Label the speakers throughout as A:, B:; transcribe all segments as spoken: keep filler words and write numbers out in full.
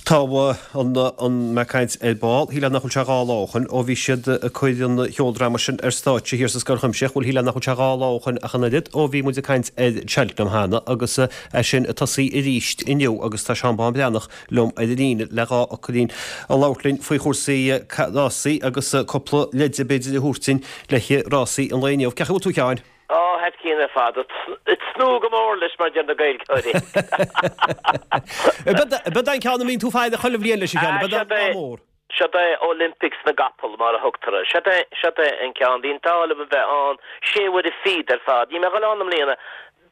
A: Tá an an mé caint ar ball, shílfeá nach bhfuil sé dhá lá ó shin ó bhí siad ag cur an cheoldráma sin ar stáitse thiar sa Scoil Chuimsitheach, bhuel shílfeá nach bhfuil sé dhá lá ó shin ach an oiread ó bhí muid ag caint ar Cheltenham cheana agus é sin ag tosaí arís inniu agus tá Seán Bán Breathnach liom ar an líne le dhá fhocailín a labhairt linn faoi chúrsaí rásaí agus cúpla leide b'fhéidir a thabhairt dúinn le rásaí an lae inniu. Cén chaoi a bhfuil tú a Sheáin?
B: Ó, thar cionn ar fad. Ag tnúth go mór leis mar a deir na Gaeilgeoirí.
A: B'é an ceann a mbíonn tú ag faire chuile bhliain leis a Sheáin, b'é an mór.
B: Seod é Olympics na gcapall mar a thugtar air. Seod é, seod é an ceann. Bhí an t-ádh liom a bheith ann sé uaire fichead ar fad. Níl mé ag dul ann i mbliana.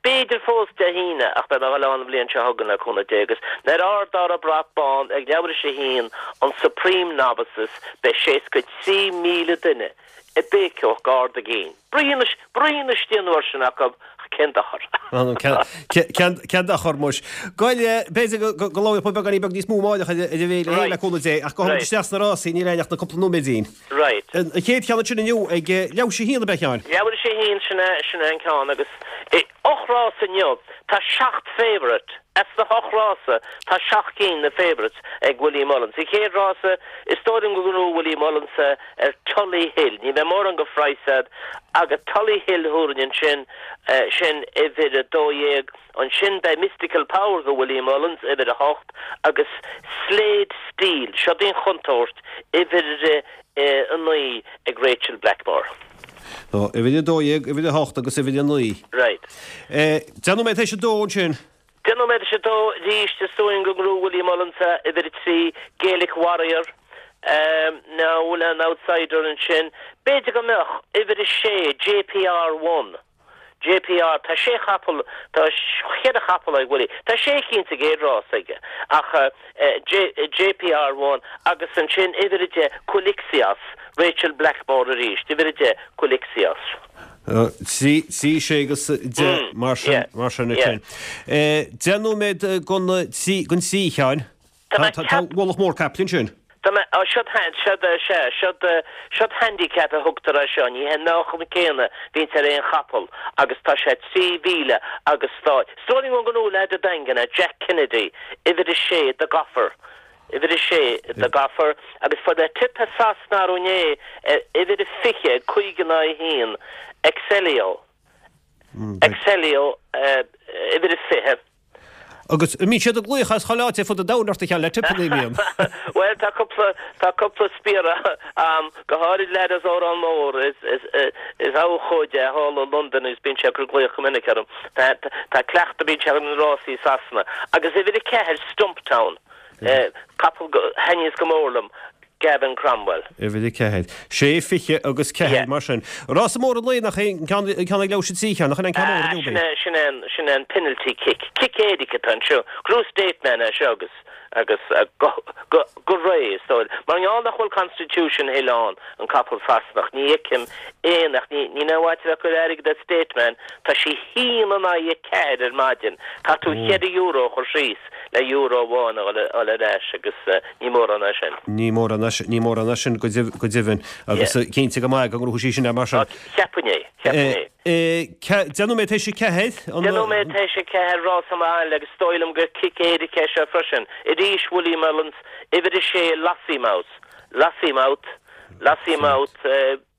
B: B'fhéidir fós Dé hAoine ach beidh mé ag dul ann an bhliain seo chugainn le cúnamh Dé agus nuair a ardófar an brat bán ag leathuair tar éis a haon an Supreme Novices beidh seasca trí míle duine ag béiceadh go hard a gcinn. Bruíon istigh an uair sin acu, ach cén dochar?
A: Cén dochar muis. Goil, b'fhéidir go labhróidh muid beagáinín beag níos mó amárach ar an bhféile féin le cúnamh Dé, ach gabhfaidh muid isteach sna rásaí, níl aon ach na cúpla nóiméidín.
B: Right.
A: An chéad cheann ansin inniu ag leathuair tar éis a haon ab ea a Sheáin?
B: Leathuair tar éis a haon, sin é, sin é an ceann agus ocht rás inniu, tá seacht favourite, as na hocht rása tá seacht cinn na favourites ag Willie Mullins. Sa chéad rása, is dóigh liom go ngnóthóidh Willie Mullins ar Tully Hill. Ní bheidh mórán go phraghas agat agus Tully Hill thabharfainn ansin, sin uimhir a dó dhéag. Ansin beidh Mystical Power go Willie Mullins, uimhir a hocht, agus Slade Steel, seo í an chontúirt, uimhir a naoi ag Rachel Blackmore.
A: Ó, uimhir a dó dhéag, uimhir a hocht agus uimhir a naoi.
B: Right.
A: Deich nóiméad tar éis a dó ansin.
B: Deich nóiméad tar éis a dó arís, is dóigh liom go ngnóthóidh Willie Mullins uimhir a trí, Gaelic Warrior. Now, bhfuil an outsider ansin? B'fhéidir go mbeadh, uimhir a sé, JPR One. JPR, tá sé chapall, tá cheithre chapall ag Willie. Tá sé cinn sa gcéad rás aige, ach J, JPR One agus ansin uimhir a deich, Quilixios, Rachel Blackmore arís, uimhir a deich, Quilixios.
A: Trí, trí, sé agus deich mar sin, mar sin ansin. Deich nóiméad don trí, don trí, a Sheáin.
B: Tá
A: Tá, tá ualach mór caiple ansin.
B: Tá mé, á, seod, seod, sea, seod, seod handicap a thugtar air seo, ní hé an meáchan céanna bhíonns ar aon chapall agus tá sé trí mhíle agus tá, is dóigh liom go ngnóthóidh leaid an Daingin é, Jack Kennedy, uimhir a sé, The Goffer, uimhir a sé, The Goffer, agus fuair mé tip as Sasana arú inné ar uimhir a fiche, cúig in aghaidh a haon, Excelio, Excelio, uimhir a fiche.
A: Agus an mbíonn siad ag glaoch as chuile áit ar fud an domhain ort a Sheáin le tipeanna, an mbíonn?
B: Bhuel, tá cúpla, tá cúpla spiaire a'm, go háirid leaid as Órán Mór, is, is, is abhcóide é thall i Londain agus bíonn sé ag cur glaoch go minic orm. Tá, tá cleachtadh, bíonn sé ar na rásaí i Sasana. Agus uimhir a ceathair, Stumptown, capall a thaitníos go mór liom, Gavin Cromwell.
A: Uimhir a ceathair. Sé, fiche agus ceathair, mar sin. Rása mór an lae nach é an ceann ag leathuair tar éis a trí, nach in an ceann mór inniu,
B: Sin é, sin é an, sin é an penalty kick. Cic éirice atá anseo. Gnóthóidh Stateman é seo agus, agus go, go, go réidh, is dóigh. Mar gheall nach bhfuil Constitution Hill ann, an capall Sasanach, ní fheicim aon, ach ní, ní aon mhaith a bheith ag cur airgead ar Stateman, tá sí haon in aghaidh a ceathair ar maidin. Caithfidh tú cheithre euro a chur síos le euro amháin a fháil ar ais agus ní mórán é sin.
A: Ní mórán é sin, ní mórán é sin go deimhin agus cinnte go maith go ngnóthóidh sí sin é mar sin.
B: Cheapfainn é, cheapfainn
A: é. Deich nóiméad tar éis a ceathair.
B: Deich nóiméad tar éis a ceathair, rás amach agus is dóigh liom gur cic éirice é seo freisin. Arís Willie Mullins, uimhir a sé, Lossiemouth, Lossiemouth, Lossiemouth,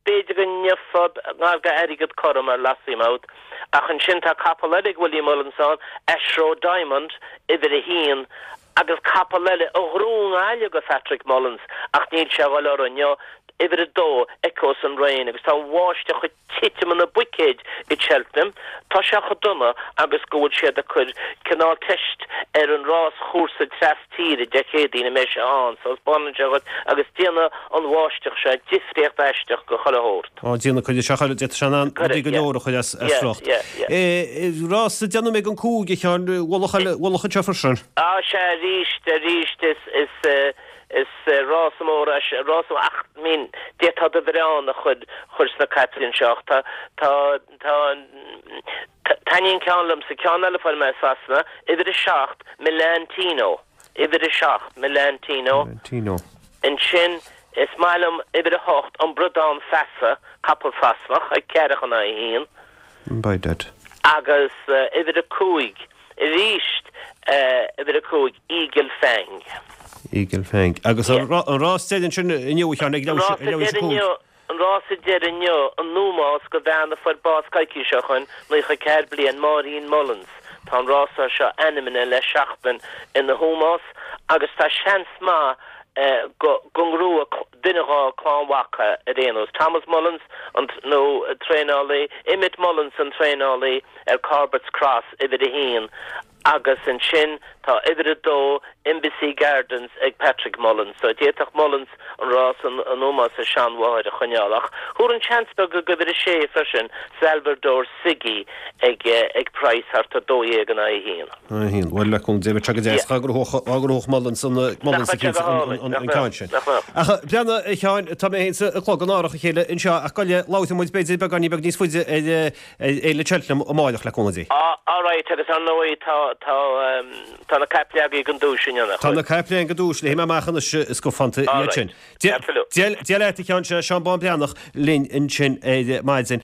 B: B'fhéidir go ngeofá gar d'airgead cothrom ar Lossiemouth, ach ansin tá capall eile ag Willie Mullins ann, Ashroe Diamond, uimhir a haon, agus capall eile a ghnóthaigh i nGaillimh go Phatrick Mullins, ach níl sé a dhul orthu inniu, uimhir a dó, Echoes an Rain, agus tá an bháisteach ag titim ina buicéid i Cheltenham. Tá sé chomh dona agus go bhfuil siad ag cur cineál teist ar an ráschúrsa tras tíre Dé Céadaoin a mbeidh sé ann, so spáineann sé dhuit agus déanfaidh an bháisteach seo difríocht aisteach go chuile shórt.
A: Á, déanfaidh, cuirfidh sé chuile, d'fhéadfadh sé in ann rudaí go leor a chur as riocht. Rás deich nóiméad don cúig, a Sheáin, ualach eile, ualach anseo freisin.
B: Á, sea, arís, arís, is, is, is rás mór é seo, rás, ach, I mean, d'fhéadfá do bhiorán a chur, chur sna caiple anseo ach tá, tá, tá, Taitníonn ceann liomsa, ceann eile a fuair mé i Sasana, uimhir a seacht, Milan Tino. Uimhir a seacht, Milan Tino.
A: Tino.
B: Ansin, is maith liom uimhir a hocht, An Bradán Feasa, capall Sasanach, ag ceathracha in aghaidh a haon.
A: By dead.
B: Agus uimhir a cúig, arís, uimhir a cúig, Eagle Fang.
A: Eagle Fang. Agus an rás deiridh ansin inniu a Sheáin ag leathuair tar éis a cúig.
B: An rás deiridh inniu, in ómós do bhean a fuair bás coicís ó shoin, naocha ceathair bliain, Máirín Mullins. Tá an rása seo ainmnithe le seachtain ina hómós agus tá seans maith go ngnóthóidh duine dhá clann mhac ar aon nós. Thomas Mullins an nó traenálaí, Emmet Mullins an traenálaí ar Corbett's Cross uimhir a haon agus ansin tá uimhir a dó Embassy Gardens ag Patrick Mullins. So d'fhéadfadh Mullins an rás in ómós a seanmháthair a choinneáil ach thabharfainn seans beag do uimhir a sé freisin Salvador Siggy ag ag praghas thart ar dó dhéag in aghaidh a haon.
A: A haon. Bhuel le cúnamh Dé beidh sé go deas dhá ngnóthódh Mullins an Mullins an ceann sin. Ach breathnaigh a Sheáin tá mé féin is an clog in árach a chéile anseo ach gabh i leith labhróidh muid b'fhéidir beagáinín beag níos faide ar Fhéile Cheltenham amárach le cúnamh Dé.
B: All right agus ar ndóigh tá tá tá na caiple agaibh don duais inniu nach
A: Tá na caiple againn don duais léifidh mé amach anois is go fanta iad sin. Dia leat a Sheáin, Seán Bán Breathnach linn ansin ar maidin.